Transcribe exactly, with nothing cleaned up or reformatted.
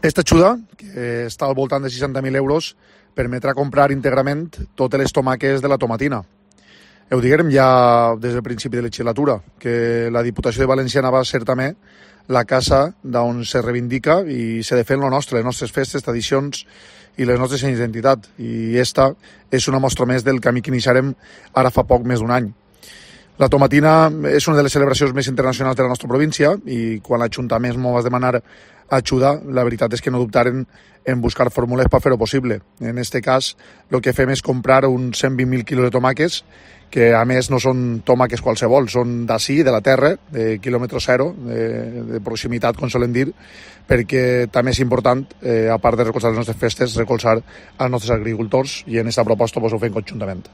Aquesta ajuda, que està al voltant de seixanta mil euros, permetrà comprar íntegrament totes les tomaques de la tomatina. Ho diguem ja des del principi de la legislatura, que la Diputació de Valenciana va ser també la casa d'on se reivindica i se defen lo nostre, les nostres festes, tradicions i les nostres senyes d'identitat. I esta és una mostra més del camí que iniciarem ara fa poc més d'un any. La tomatina és una de les celebracions més internacionals de la nostra província i quan l'Ajuntament ens va demanar ajuda, la veritat és que no dubtaren en buscar fórmules per fer-ho possible. En aquest cas, el que fem és comprar uns cent vint mil quilos de tomàquets, que a més no són tomàquets qualsevol, són d'ací, de la terra, de quilòmetre zero, de, de proximitat, com solen dir, perquè també és important, eh, a part de recolzar les nostres festes, recolzar els nostres agricultors i en aquesta proposta pues, ho fem conjuntament.